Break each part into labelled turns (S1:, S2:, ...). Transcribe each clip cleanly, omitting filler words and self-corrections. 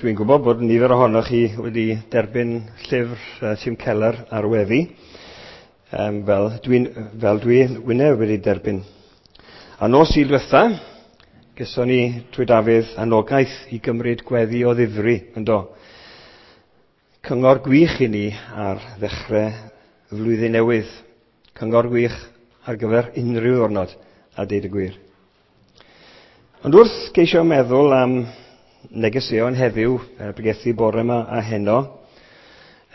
S1: Dwi'n gwybod bod nifer ohonoch chi wedi derbyn llyfr Tim Keller ar weddi, fel dwi wyneb wedi derbyn. A nos Sul diwetha, geson ni trwy Dafydd anogaeth i gymryd gweddi o ddifri, yndo. Cyngor gwych i ni ar ddechrau y flwyddyn newydd. Cyngor gwych ar gyfer unrhyw ddwrnod, a deud y gwir. Ond wrth geisio meddwl am negeseuon heddiw, bregethu bore yma a heno,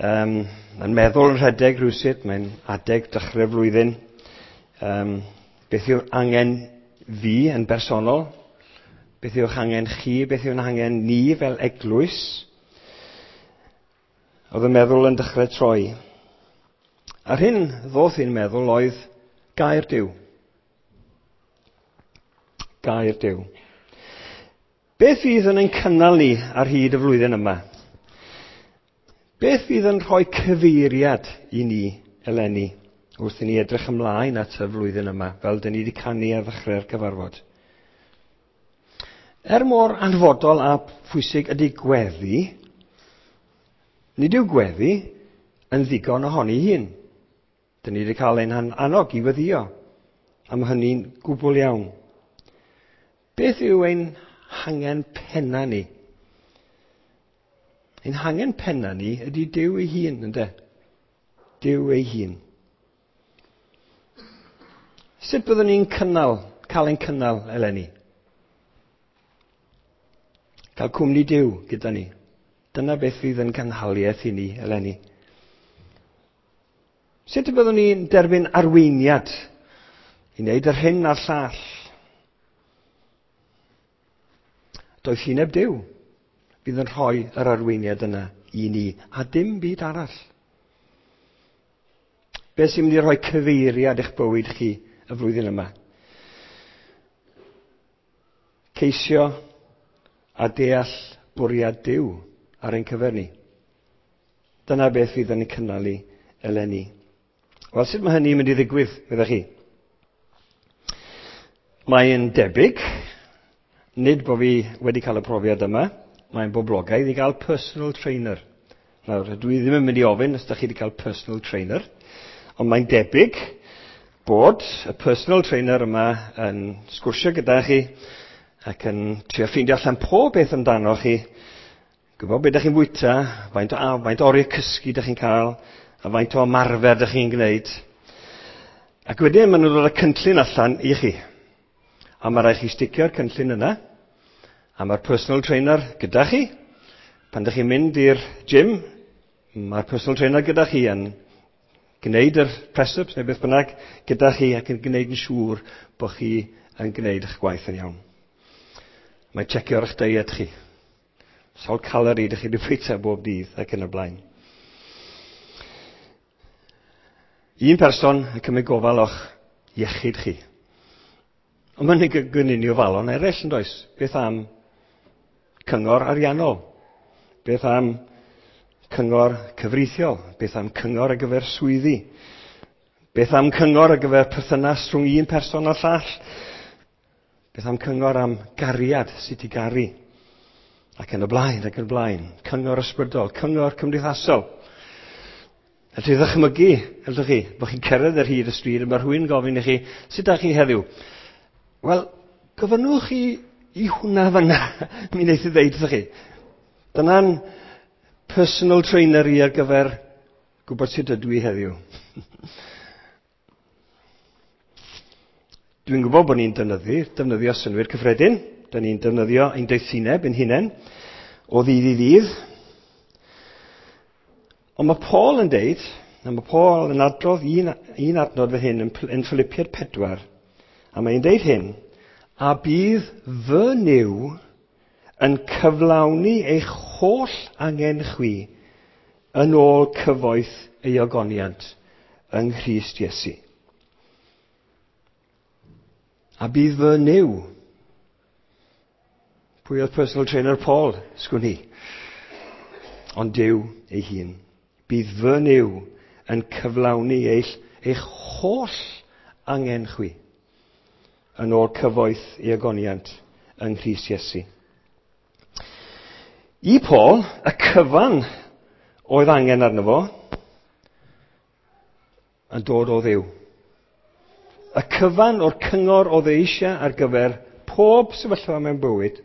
S1: mae'n meddwl yn rhedeg rhywsut, mae'n adeg dechrau'r flwyddyn. Beth yw'r angen fi yn bersonol? Beth yw'ch angen chi? Beth yw'n angen ni fel eglwys? Oedd y meddwl yn dechrau troi. A'r hyn ddoth i'n meddwl oedd gair Duw. Gair Duw. Beth fydd yn ein cynnal ni ar hyd y flwyddyn yma? Beth fydd yn rhoi cyfeiriad i ni eleni wrth i ni edrych ymlaen at y flwyddyn yma, fel dyn ni wedi canu ar ddechrau'r cyfarfod? Er mor anfodol a phwysig ydy gweddi, nid yw gweddi yn ddigon ohoni hun. Dyn ni wedi cael ein annog i weddïo, a mae hynny'n gwbl iawn. Beth yw ein hangen penna ni? Ein hangen penna ni ydy Duw ei hun, ynde? Duw ei hun. Sut byddwn ni'n cael ein cynnal eleni? Cael cwmni Duw gyda ni. Dyna beth fydd yn cynhaliaeth i ni eleni. Sut y byddwn ni'n derbyn arweiniad i wneud yr hyn a'r llall? Doethineb Duw fydd yn rhoi yr arweiniad yna i ni, a dim byd arall. Beth sy'n mynd i rhoi cyfeiriad eich bywyd chi y flwyddyn yma? Ceisio a deall bwriad Duw ar ein cyfer ni. Dyna beth fydd yn ein cynnal ni eleni. Wel, sut mae hynny'n mynd i ddigwydd, meddech chi? Mae'n debyg, nid bod fi wedi cael y profiad yma, mae'n boblogaidd i gael personal trainer. Nawr, dwi ddim yn mynd i ofyn os ydych chi wedi cael personal trainer, ond mae'n debyg bod y personal trainer yma yn sgwrsio gyda chi ac yn trio ffeindio allan pob beth amdano chi, gwybod beth ydych chi'n fwyta, faint o oriau cysgu ydych chi'n cael, a faint o ymarfer ydych chi'n gwneud. Ac wedyn maen nhw'n dod â cynllun allan i chi. A mae rhaid chi sticio'r cynllun yna, a mae'r personal trainer gyda chi. Pan ydych chi'n mynd i'r gym, mae'r personal trainer gyda chi yn gwneud yr press-ups neu beth bynnag gyda chi ac yn gwneud yn siŵr bod chi yn gwneud eich gwaith yn iawn. Mae'n checio'r eich diet chi. Sawl calorie ydych chi wedi bwyta bob dydd ac yn y blaen. Un person yn cymryd gofal o'ch iechyd chi. Ond mae'n gwneud ni ofalon eraill, yn does? Beth am cyngor ariannol? Beth am cyngor cyfreithiol? Beth am cyngor ar gyfer swyddi? Beth am cyngor ar gyfer perthynas rhwng un person a'r llall? Beth am cyngor am gariad, sut i garu? Ac yn y blaen, ac yn y blaen. Cyngor ysbrydol, cyngor cymdeithasol. Allwch chi ddychmygu, allwch chi, bod chi'n cerdded ar hyd y stryd a mae rhywun gofyn i chi, sut ydych chi heddiw? Wel, gofynnwch chi i hwnna fanna, mi wneith i ddeud wrthych chi. Dyna'n personal trainer i ar gyfer gwybod sut ydw i heddiw. Dwi'n gwybod bod ni'n defnyddio synnwyr cyffredin. Dyn ni'n defnyddio ein doethineb ein hunain o ddydd i ddydd. Ond mae Paul yn deud, a mae Paul yn adrodd un adnod fan hyn yn Philippiaid 4, a mae'n deud hyn, a bydd fy Nuw yn cyflawni eich holl angen chwi yn ôl cyfoeth ei ogoniant yng Nghrist Iesu. A bydd fy Nuw. Pwy oedd personal trainer Paul? Sgwn i. Ond Duw ei hun. Bydd fy Nuw yn cyflawni eich holl angen chwi yn ôl cyfoeth ei ogoniant yng Nghrist Iesu. I Paul, y cyfan oedd angen arno fo yn dod o Dduw. Y cyfan o'r cyngor oedd e eisiau ar gyfer pob sefyllfa mewn bywyd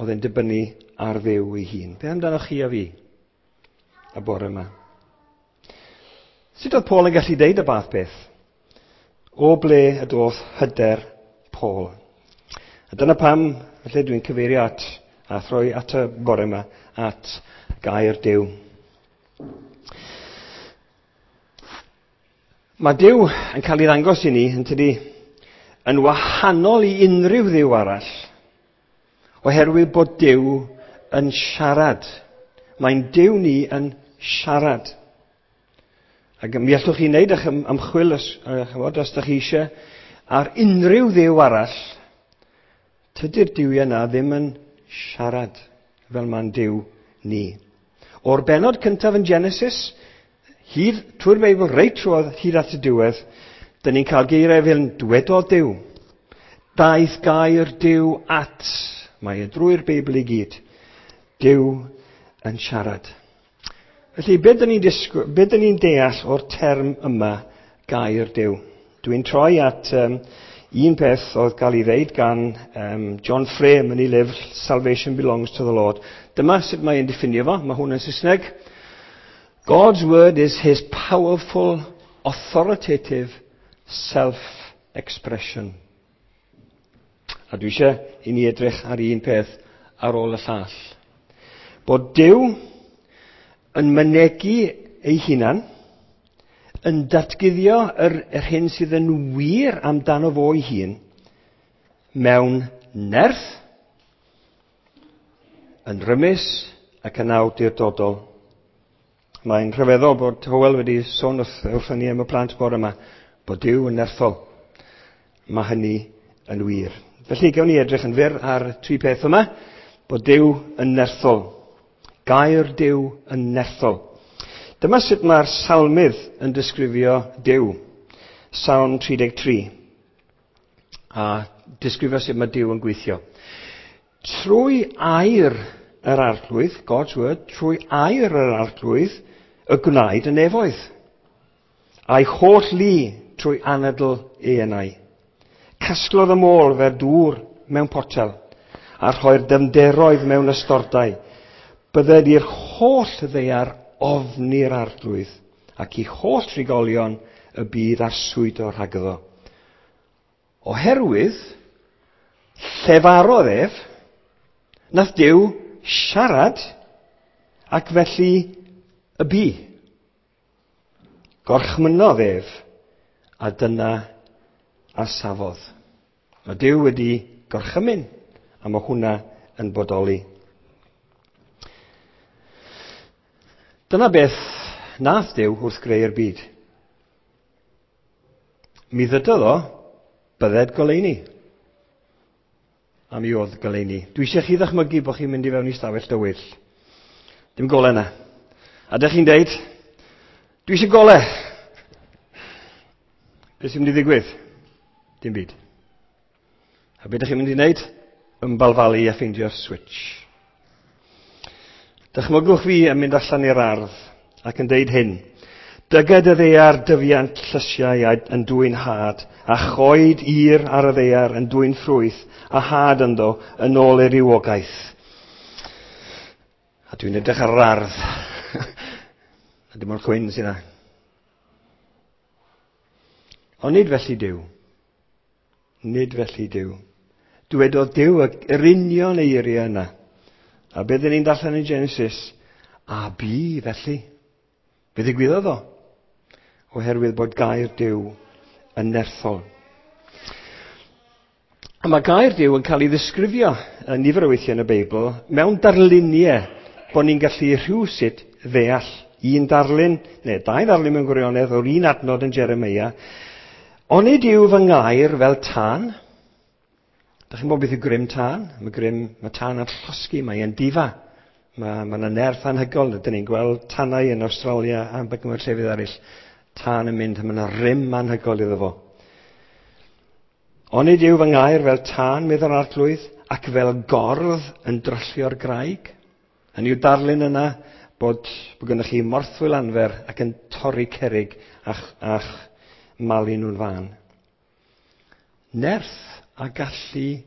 S1: oedd e'n dibynnu ar Dduw ei hun. Be amdanoch chi a fi y bore yma? Sut oedd Paul yn gallu deud y bath beth? O ble y doth hyder Paul? A dyna pam, felly dwi'n cyfeirio at a throi at y bore yma, at gair Duw. Mae Duw yn cael ei ddangos i ni, yn tydi, yn wahanol i unrhyw dduw arall, oherwydd bod Duw yn siarad. Mae'n Duw ni yn siarad. Ac mi allwch chi wneud eich ymchwil os, chymod, os ydych chi eisiau ar unrhyw dduw arall. Tydi'r duwiau yna ddim yn siarad fel mae'n Duw ni. O'r benod cyntaf yn Genesis, hyd trwy'r Beibl, reit trwodd, hyd at y diwedd, dyn ni'n cael geiriau fel dwedodd Duw. Daeth gair Duw at, mae e drwy'r Beibl i gyd. Duw yn siarad. Felly, be dyn ni'n be dyn ni'n deall o'r term yma, gair Duw? Dwi'n troi at un peth oedd gael ei ddeud gan John Frame yn ei lyfr Salvation Belongs to the Lord. Dyma sut mae'n diffinio fo, mae hwn yn Saesneg. God's word is his powerful, authoritative self-expression. A dwi eisiau i ni edrych ar un peth ar ôl y llall. Bod Duw yn mynegi ei hunan, yn datguddio yr hyn sydd yn wir amdano fo ei hun, mewn nerth, yn rymus ac yn awdurdodol. Mae'n rhyfeddol bod Hywel wedi sôn wrthon ni am y plant bore yma, bod Duw yn nerthol. Mae hynny yn wir. Felly, gawn ni edrych yn fyr ar tri peth yma. Bod Duw yn nerthol. Gair Duw yn nerthol. Dyma sut mae'r salmydd yn disgrifio Duw. Salm 33. A disgrifio sut mae Duw yn gweithio. Trwy air yr Arglwydd, God's word, trwy air yr Arglwydd, y gwnaed y nefoedd. A'i holl lu trwy anadl ei enau. Casglodd y môr fel dŵr mewn potel, a rhoi'r dyfnderoedd mewn ystordau. Bydded i'r holl ddaear ofni'r Arglwydd, ac i holl trigolion y byd arswydo rhagddo. Oherwydd, llefarodd ef, nath Duw siarad, ac felly y bu. Gorchmynnodd ef, a dyna a safodd. Mae Duw wedi gorchymyn, a mae hwnna yn bodoli. Dyna beth nath Duw wrth greu'r byd. Mi ddydodd o, bydded goleuni. A mi oedd goleuni. Dwi eisiau chi ddychmygu bod chi'n mynd i fewn i stafell dywyll. Dim golau yna. A dych chi'n deud, dwi eisiau golau. Beth sy'n mynd i ddigwydd? Dim byd. A beth ydych chi'n mynd i wneud? Ymbalfalu a ffeindio'r switch. Dychmygwch fi yn mynd allan i'r ardd ac yn deud hyn. Dyged y ddaear dyfiant llysiau yn dwyn had, a choed ir ar y ddaear yn dwyn ffrwyth, a had ynddo yn ôl ei rywogaeth. A dwi'n edrych ar yr ardd. A dim ond chwyn sydd yna. Ond nid felly Duw. Nid felly Duw. Dwedodd Duw yr union eiriau yna. A beth ni'n darllen yn Genesis? A bu felly. Be ddigwyddodd o? Oherwydd bod gair Duw yn nerthol. A mae gair Duw yn cael ei ddisgrifio yn nifer o weithiau yn y Beibl mewn darluniau bod ni'n gallu rhywsut ddeall un darlun, neu dau ddarlun mewn gwirionedd, o'r un adnod yn Jeremia. Onid yw fy ngair fel tân? Dych chi'n gwybod beth yw grym tân? Mae tân yn llosgi, mae e'n difa. Mae yna nerth anhygoel. Dyn ni'n gweld tanau yn Awstralia a mewn llefydd eraill. Tân yn mynd, a mae yna rym anhygoel iddo fo. Onid yw fy ngair fel tân, meddwl Arglwydd, ac fel gordd yn dryllio'r graig? Hynny yw darlun yna bod gennych chi morthwyl anfer ac yn torri cerrig a'ch malu nhw'n fân. Nerth a gallu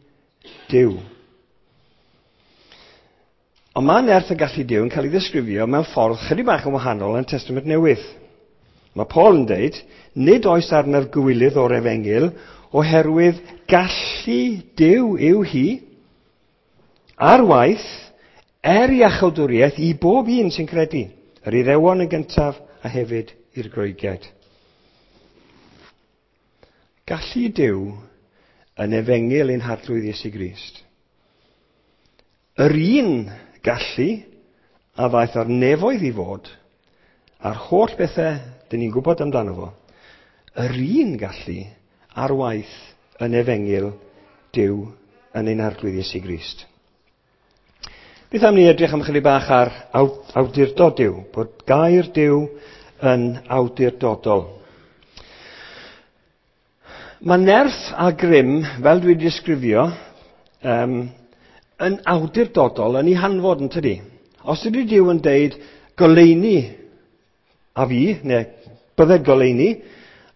S1: Duw. Ond mae nerth a gallu Duw yn cael ei ddisgrifio mewn ffordd chydig bach yn wahanol yn Testament Newydd. Mae Paul yn deud, nid oes arnaf gywilydd o'r efengyl oherwydd gallu Duw yw hi ar waith er iachawdwriaeth i bob un sy'n credu, yr Iddewon yn gyntaf a hefyd i'r Groegiaid. Gallu Duw yn efengyl ein Harglwydd Iesu Grist. Yr un gallu a ddaeth ar nefoedd i fod, a'r holl bethau dyn ni'n gwybod amdano fo, yr un gallu ar waith yn efengyl Duw yn ein Arglwydd Iesu Grist. Beth am ni edrych am chydig bach ar awdurdod Duw, bod gair Duw yn awdurdodol. Mae nerth a grym, fel dwi wedi disgrifio, yn awdurdodol yn ei hanfod, yn tydi? Os ydy Duw yn deud goleuni a fi, neu bydded goleuni,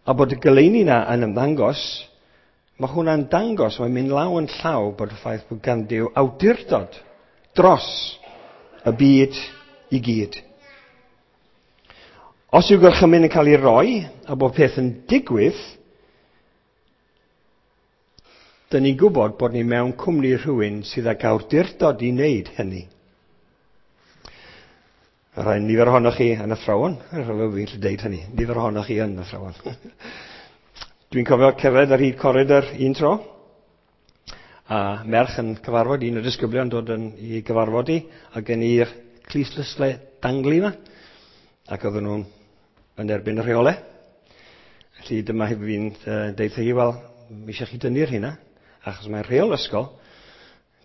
S1: a bod y goleuni na yn ymddangos, mae hwnna'n dangos, mae'n mynd law yn llaw bod y ffaith bod gan Duw awdurdod dros y byd i gyd. Os yw gorchymyn yn cael ei roi a bod peth yn digwydd, dyn ni'n gwybod bod ni mewn cwmni rhywun sydd ag awdurdod i wneud hynny. Rhai nifer ohonoch chi yn athrawon, rhaid fi'n gallu deud hynny, nifer ohonoch chi yn athrawon. Dwi'n cofio cerdded ar hyd coridor un tro, a merch yn cyfarfod, un o'r disgyblion dod yn i gyfarfod i, a gen i'r clustdlysau danglu yma, ac oedden nhw'n yn erbyn y rheolau. Felly dyma fi'n deud hi, wel, mi eisiau chi dynnu'r hynna, achos mae'n rheol ysgol,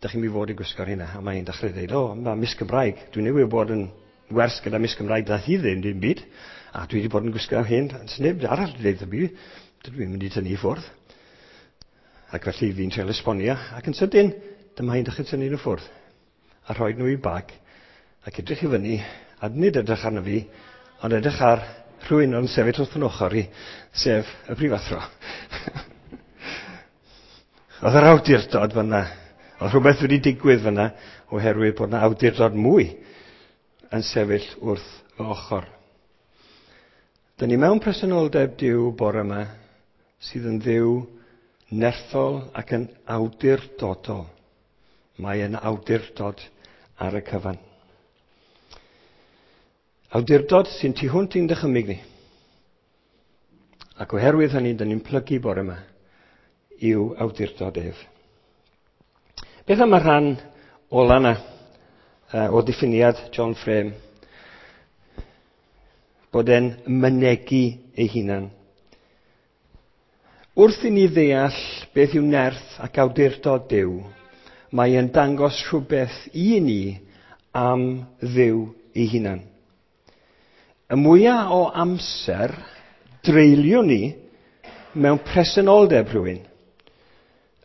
S1: dych chi'n mynd i fod i gwisgo'r hynna. A mae'n dechrau dweud, o, mae Miss Cymraeg, dwi'n newydd bod yn wers gyda Miss Cymraeg, dath hi ddim dim byd, a dwi wedi bod yn gwisgo hyn, sneb arall wedi dweud fi, dwi mynd i tynnu i ffwrdd. Ac felly fi'n treul esbonio, ac yn sydyn, dyma hi'n dechrau tynnu nhw ffwrdd, a rhoi nhw i bag, ac edrych i fyny, a nid edrych arno fi, ond edrych ar rhywun o'n sefyll wrth yn ochr i, sef y prifathro. Oedd yr awdurdod fyna, oedd rhywbeth wedi digwydd fyna, oherwydd bod yna awdurdod mwy yn sefyll wrth fy ochr. Dyn ni mewn presenoldeb Duw bore yma, sydd yn Dduw nerthol ac yn awdurdodol. Mae yn awdurdod ar y cyfan. Awdurdod sy'n tu hwnt i'n dychymyg ni. Ac oherwydd hynny, dyn ni'n plygu bore yma i'w awdurdod ef. Beth am y rhan ola yna o diffiniad John Frame? Bod e'n mynegi ei hunan. Wrth i ni ddeall beth yw nerth ac awdurdod Duw, mae e'n dangos rhywbeth i ni am Dduw ei hunan. Y mwyaf o amser dreulio ni mewn presenoldeb rhywun,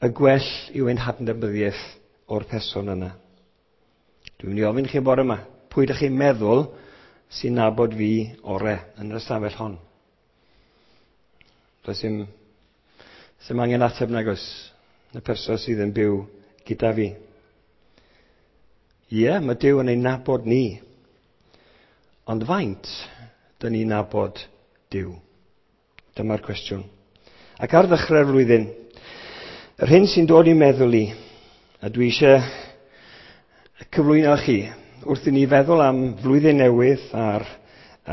S1: y gwell yw ein hadnabyddiaeth o'r person yna. Dwi'n mynd i ofyn chi bore yma, pwy ydych chi'n meddwl sy'n nabod fi ore yn yr ystafell hon? Does dim angen ateb nag oes, y person sydd yn byw gyda fi. Ie, mae Duw yn ein nabod ni. Ond faint dyn ni'n nabod Duw? Dyma'r cwestiwn. Ac ar ddechrau'r flwyddyn, yr hyn sy'n dod i'n meddwl i, a dwi eisiau cyflwyno chi, wrth i ni feddwl am flwyddyn newydd a'r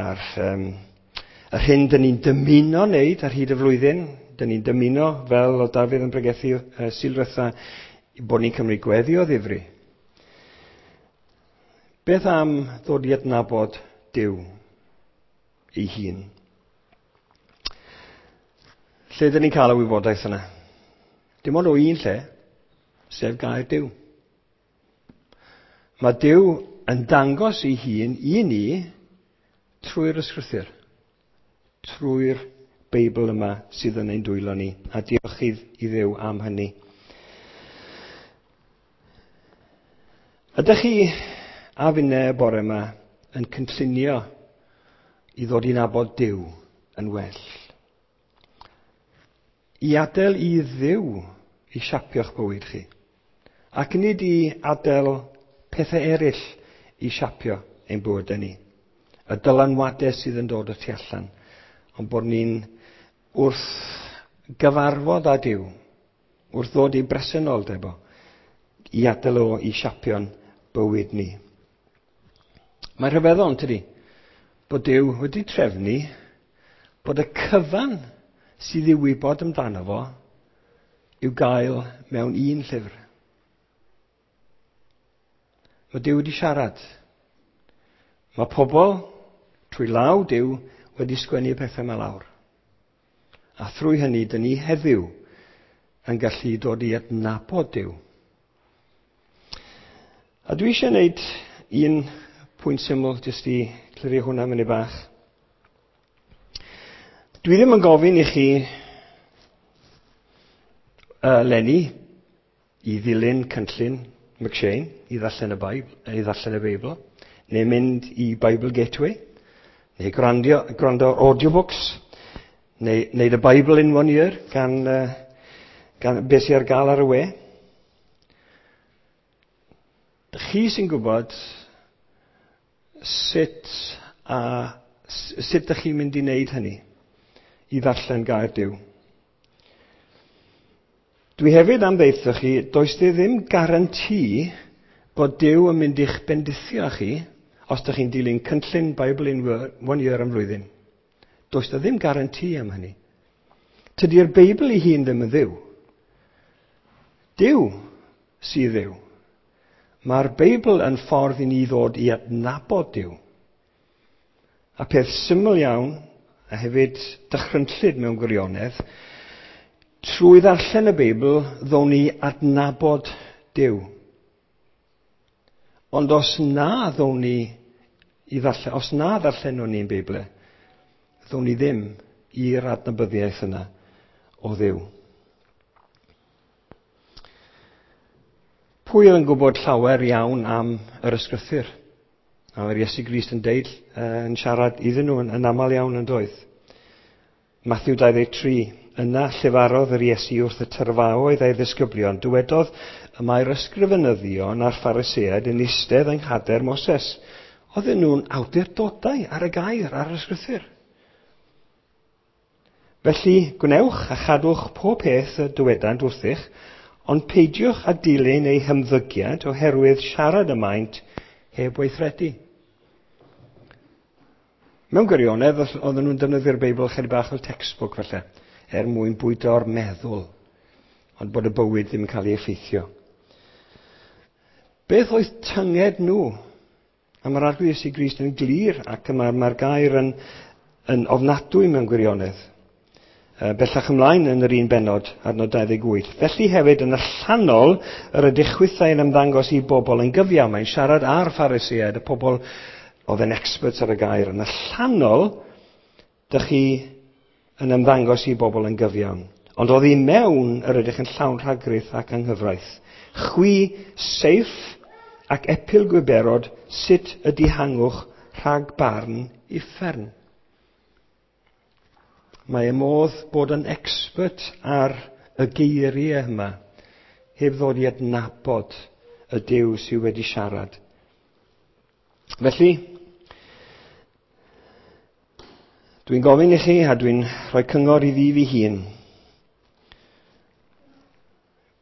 S1: yr hyn dyn ni'n dymuno wneud ar hyd y flwyddyn, dyn ni'n dymuno, fel o Dafydd yn pregethu Sul ddiwetha, bod ni'n cymryd gweddi o ddifri. Beth am ddod i adnabod Duw ei hun? Lle dyn ni'n cael y wybodaeth yna? Dim ond o un lle, sef gair Duw. Mae Duw yn dangos ei hun i ni trwy'r ysgrythur, trwy'r Beibl yma sydd yn ein dwylo ni, a diolch i Dduw am hynny. Ydych chi a finne y bore yma yn cynllunio i ddod i nabod Duw yn well. I adael i Dduw i siapio'ch bywyd chi. Ac nid i adael pethau eraill i siapio ein bywydau ni. Y dylanwadau sydd yn dod o tu allan. Ond bod ni'n wrth gyfarfod â Duw, wrth ddod i bresenoldeb o, i adael o i siapio'n bywyd ni. Mae'n rhyfeddol, tydi, bod Duw wedi trefnu bod y cyfan sydd i'w wybod amdano fo i'w gael mewn un llyfr. Mae Duw wedi siarad. Mae pobl, trwy law Duw, wedi sgwennu pethau yma lawr. A thrwy hynny, dyn ni heddiw yn gallu dod i adnabod Duw. A dwi eisiau gwneud un pwynt syml jyst i clirio hwnna munud bach. Dwi ddim yn gofyn i chi leni i ddilyn cynllun McShane i ddarllen y Beibl, i ddarllen y Beibl, neu mynd i Bible Gateway, neu gwrando ar audiobooks, neu wneud y Bible in One Year gan beth sydd ar gael ar y we. Chi sy'n gwybod sut ydych chi'n mynd i wneud hynny, i ddarllen gair Duw. Dwi hefyd am ddeutho chi, does di ddim garanti bod Duw yn mynd i'ch bendithio chi os ydych chi'n dilyn cynllun Bible in One Year am flwyddyn. Does da ddim garanti am hynny. Tydi'r Beibl ei hun ddim yn Dduw. Duw sydd Dduw. Mae'r Beibl yn ffordd i ni ddod i adnabod Duw. A peth syml iawn, a hefyd dychrynllyd mewn gwirionedd, trwy ddarllen y Beibl, ddown ni adnabod Duw. Ond os na ddown ni i ddarllen, os na ddarllenwn ni'n Beibl, ddown ni ddim i'r adnabyddiaeth yna o Dduw. Pwy oedd yn gwybod llawer iawn am yr ysgrythur? A mae'r Iesu Grist yn deud, yn siarad iddyn nhw yn aml iawn yn doedd. Matthew 23, yna llefarodd yr Iesu wrth y tyrfaoedd a'i ddisgyblion, dywedodd y mae'r ysgrifenyddion a'r Phariseaid yn eistedd yng nghader Moses. Oedden nhw'n awdurdodau ar y gair, ar yr ysgrythur. Felly, gwnewch a chadwch pob peth y dywedant wrthych, ond peidiwch â dilyn eu hymddygiad oherwydd siarad y maent heb weithredu. Mewn gwirionedd, oedden nhw'n defnyddio'r Beibl chydig bach fel textbook falle, er mwyn bwydo'r meddwl, ond bod y bywyd ddim yn cael ei effeithio. Beth oedd tynged nhw? A mae'r Arglwydd Iesu Grist yn glir ac mae'r gair yn ofnadwy mewn gwirionedd. Bellach ymlaen yn yr un bennod, adnod 28. Felly hefyd yn allanol yr ydych chwithau yn ymddangos i bobl yn gyfiawn. Mae'n siarad â'r Phariseaid, y pobl oedd yn experts ar y gair. Yn allanol, dych chi yn ymddangos i bobl yn gyfiawn. Ond oddi mewn yr ydych yn llawn rhagrith ac anghyfraith. Chwi seirff ac epil gwiberod, sut y dihangwch rhag barn uffern. Mae y modd bod yn expert ar y geiriau yma, heb ddod i adnabod y Duw sydd wedi siarad. Felly, dwi'n gofyn i chi a dwi'n rhoi cyngor i fi fy hun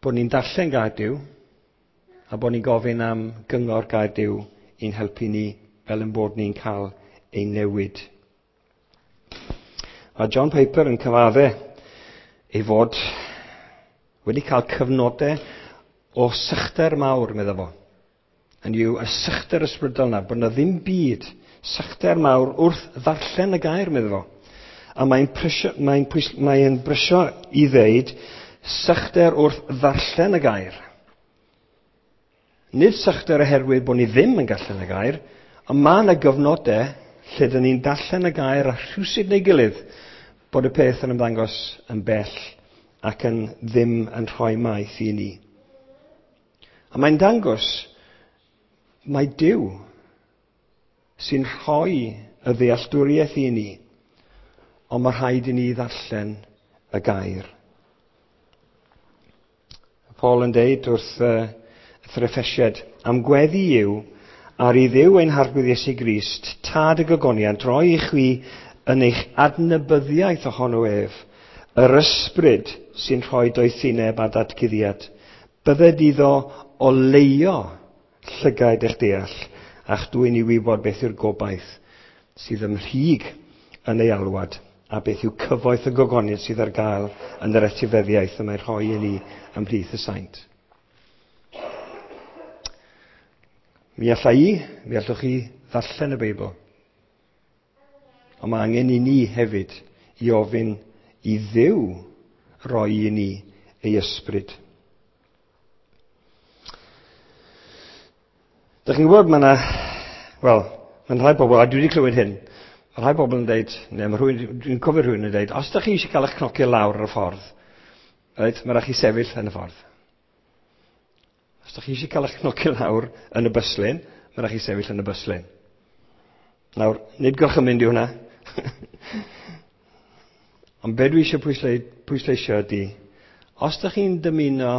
S1: bod ni'n darllen gair Duw a bod ni'n gofyn am gyngor gair Duw i'n helpu ni fel ein bod ni'n cael ein newid. Mae John Piper yn cyfadde ei fod wedi cael cyfnodau o sychder mawr, medda fo. Yn yw y sychder ysbrydol yna, bod yna ddim byd sychder mawr wrth ddarllen y gair, medda fo. A mae'n brysio i ddeud sychder wrth ddarllen y gair. Nid sychder oherwydd bod ni ddim yn darllen y gair, ond mae yna gyfnodau lle dyn ni'n darllen y gair a rhywsut neu gilydd bod y peth yn ymddangos yn bell ac yn ddim yn rhoi maeth i ni. A mae'n dangos Mae Duw sy'n rhoi y ddealltwriaeth i ni, ond mae rhaid i ni ddarllen y gair. Paul yn deud wrth yr Effesiaid, am gweddi yw, ar i Dduw ein Harglwydd Iesu Grist, tad y gogoniant, roi i chwi yn eich adnabyddiaeth ohono ef, yr ysbryd sy'n rhoi doethineb a datguddiad. Bydded iddo oleuo llygaid eich deall, a'ch dwyn i wybod beth yw'r gobaith sydd ymhlyg yn ei alwad, a beth yw cyfoeth y gogoniant sydd ar gael yn yr etifeddiaeth y mae'n rhoi i ni ymhlith y saint. Mi alla i, mi allwch chi ddarllen y Beibl. Ond mae angen i ni hefyd i ofyn i Dduw roi i ni ei ysbryd. Dych chi'n gwybod, mae yna, wel, mae'n rhai bobl, a dwi wedi clywed hyn, mae rhai bobl yn dweud, neu mae rhywun, dwi'n cofio rhywun yn dweud, os ydych chi eisiau cael eich cnocio lawr ar y ffordd, reit, mae rhaid chi sefyll yn y ffordd. Os ydych chi eisiau cael eich cnocio lawr yn y bus lane, mae rhaid chi sefyll yn y bus lane. Nawr, nid gorchymyn di hwnna. Ond be dwi eisiau pwysleisio ydy, os ydych chi'n dymuno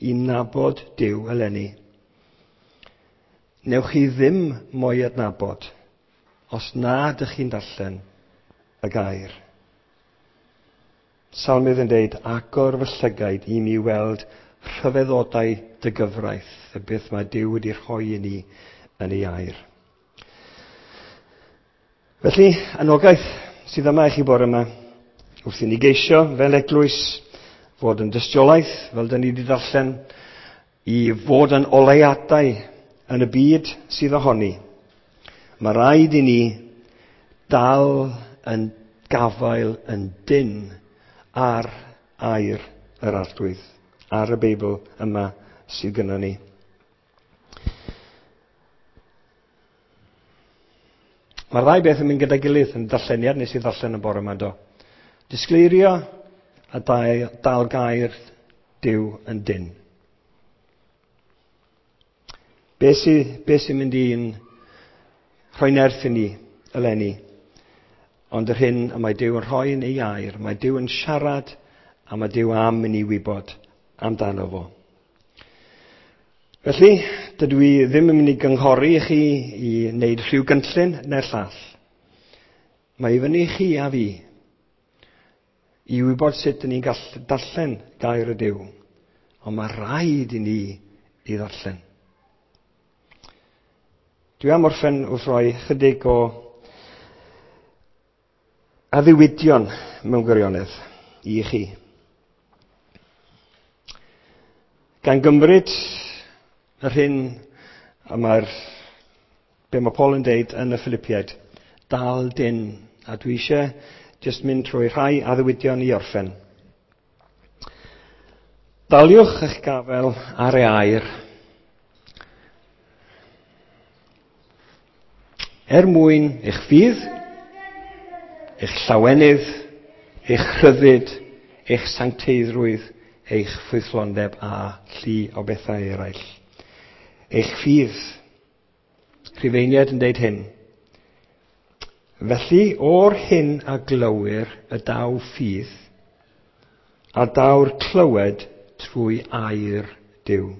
S1: i nabod Duw eleni, newch chi ddim mwy adnabod os na ydych chi'n darllen y gair. Salmydd yn deud, agor fy llygaid i mi weld rhyfeddodau dy gyfraith, y beth mae Duw wedi rhoi i ni yn ei air. Felly, anogaeth sydd yma i chi bore yma, wrth i ni geisio fel eglwys fod yn dystiolaeth, fel dyn ni wedi darllen, i fod yn oleuadau yn y byd sydd ohoni. Mae rhaid i ni dal yn gafael yn dynn ar air yr Arglwydd, ar y Beibl yma sydd gynnon ni. Mae'r ddau beth yn mynd gyda'i gilydd yn darlleniad nes i ddarllen y bore yma, do. Disgleirio a dal gair Duw yn dynn. Be sy'n mynd i'n rhoi nerth i ni eleni? Ond yr hyn y mae Duw yn rhoi yn ei air, mae Duw yn siarad a mae Duw am i ni wybod amdano fo. Felly, dydw i ddim yn mynd i gynghori i chi i wneud rhyw gynllun neu'r llall. Mae i fyny i chi a fi i wybod sut dyn ni'n gallu darllen gair y Duw. Ond mae rhaid i ni i ddarllen. Dwi am orffen wrth roi chydig o addewidion mewn gwirionedd i chi. Gan gymryd yr hyn y mae'r, be mae Paul yn deud yn y Philippiaid, dal dyn, a dwi eisiau jyst mynd trwy rhai addewidion i orffen. Daliwch eich gafel ar ei air, er mwyn eich ffydd, eich llawenydd, eich rhyddid, eich sancteiddrwydd, eich ffrwythlondeb a llu o bethau eraill. Eich ffydd. Rhufeiniaid yn deud hyn. Felly, o'r hyn a glywir y daw ffydd, a daw'r clywed trwy air Duw.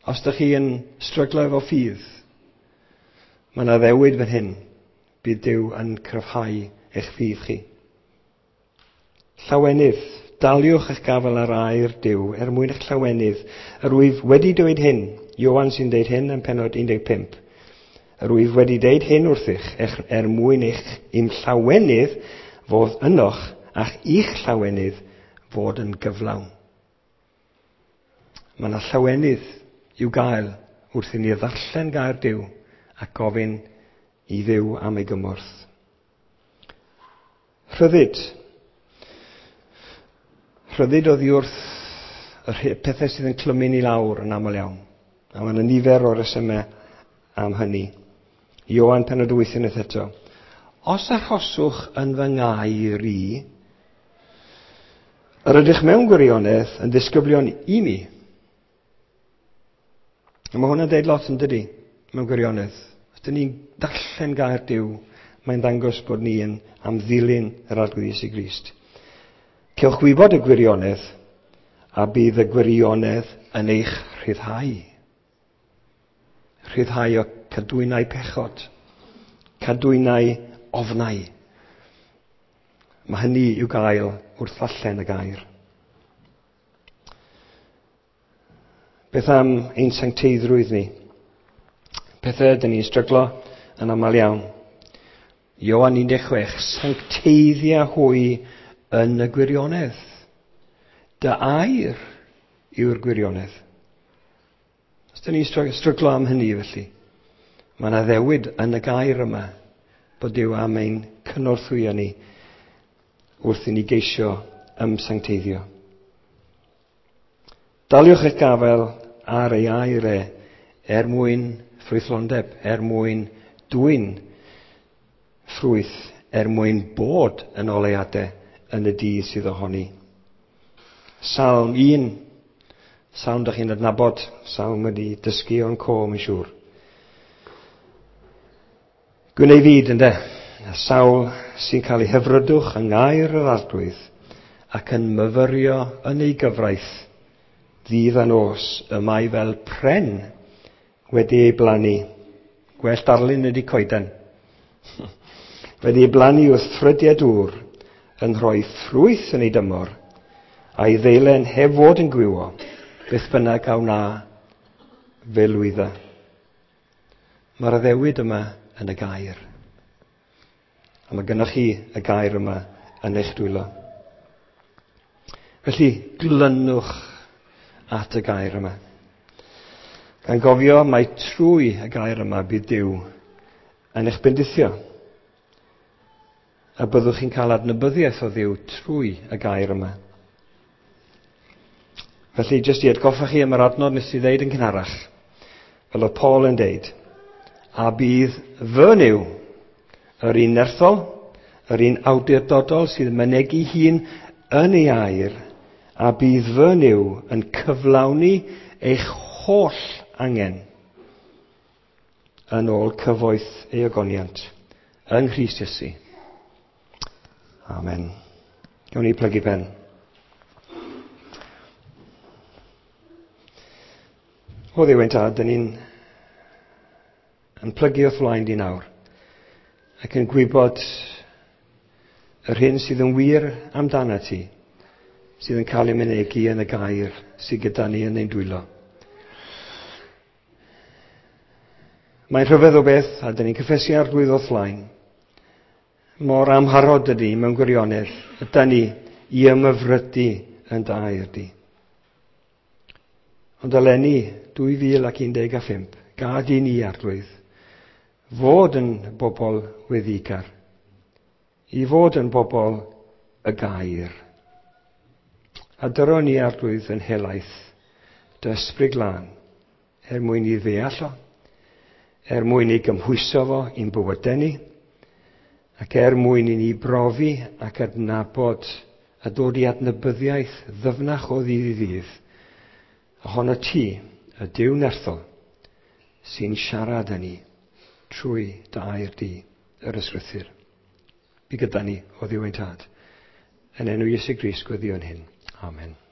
S1: Os ydych chi yn stryglo efo ffydd, mae yna ddewid fan hyn, bydd Duw yn cryfhau eich ffydd chi. Llawenydd, daliwch eich gafael ar air Duw er mwyn eich llawenydd. Yr wyf wedi dweud hyn, Ioan sy'n dweud hyn yn pennod 15. Yr wyf wedi dweud hyn wrthych er mwyn eich i'm llawenydd fod ynoch a'ch i'ch llawenydd fod yn gyflawn. Mae yna llawenydd i'w gael wrth i ni ddarllen gair Duw a gofyn i Dduw am ei gymorth. Rhyddid. Rhyddid oddi wrth y pethau sydd yn clymu ni lawr yn aml iawn. A mae yna nifer o resymau am hynny. Ioan pennod 8 unwaith eto. Os arhoswch yn fy ngair i, yr ydych mewn gwirionedd yn ddisgyblion i mi. A mae hwnna'n deud lot yn dydi, mewn gwirionedd. Os dyn ni'n darllen gair Duw, mae'n dangos bod ni yn am ddilyn yr Arglwydd Iesu Grist. Cewch wybod y gwirionedd, a bydd y gwirionedd yn eich rhyddhau. Rhyddhau o cadwynau pechod, cadwynau ofnau. Mae hynny i'w gael wrth ddarllen y gair. Beth am ein sancteiddrwydd ni? Pethau ydyn ni'n stryglo yn aml iawn. Ioan 16, sancteiddia hwy yn y gwirionedd. Dy air yw'r gwirionedd. Os dyn ni'n stryglo am hynny felly, mae yna ddewid yn y gair yma bod Duw am ein cynorthwyo ni wrth i ni geisio ymsancteiddio. Daliwch eich gafael ar ei air e er mwyn ffrwythlondeb, er mwyn dwyn ffrwyth, er mwyn bod yn oleuadau yn y dydd sydd ohoni. Salm 1, salm dych chi'n adnabod, salm wedi dysgu o'n co, mae'n siŵr. Gwyn ei fyd, ynde, y sawl sy'n cael ei hyfrydwch yng ngair yr Arglwydd ac yn myfyrio yn ei gyfraith ddydd a nos, y mae fel pren wedi ei blannu. Gwell darlun ydy coeden. Wedi ei blannu wrth ffrydiau dŵr, yn rhoi ffrwyth yn ei dymor, a'i ddeilen heb fod yn gwywo, beth bynnag a wna fe lwydda. Mae'r addewid yma yn y gair. A mae gennych chi y gair yma yn eich dwylo. Felly, glynwch at y gair yma. Gan gofio mai trwy y gair yma bydd Duw yn eich bendithio. A byddwch chi'n cael adnabyddiaeth o Dduw trwy y gair yma. Felly, jyst i atgoffa chi am yr adnod nes i ddeud yn cynharach, fel oedd Paul yn deud, a bydd fy Nuw, yr un nerthol, yr un awdurdodol sydd yn mynegi hun yn ei air, a bydd fy Nuw yn cyflawni eich holl angen yn ôl cyfoeth ei ogoniant yng Nghrist Iesu. Amen. Gawn ni plygu pen. O Dduw ein Tad, dyn ni'n yn plygu wrth flaen di nawr ac yn gwybod yr hyn sydd yn wir amdana ti, sydd yn cael ei mynegi yn y gair sydd gyda ni yn ein dwylo. Mae'n rhyfedd o beth, a dyn ni'n cyffesu Arglwydd wrth flaen, mor amharod ydy mewn gwirionedd, ydy ni i ymhyfrydu yn dy air di. Ond eleni, 2015, gad i ni, Arglwydd, fod yn bobl weddigar, i fod yn bobl y gair. A dyro ni, Arglwydd, yn helaeth, dy ysbryd glân, er mwyn i ddeall o, er mwyn i gymhwyso fo i'n bywydau ni, ac er mwyn i ni brofi ac adnabod a dod i adnabyddiaeth ddyfnach o ddydd i ddydd, ohono ti, y Duw nerthol, sy'n siarad â ni trwy dy air di, yr ysgrythur. Bu gyda ni o Dduw ein Tad. Yn enw Iesu Grist gweddïwn hyn. Amen.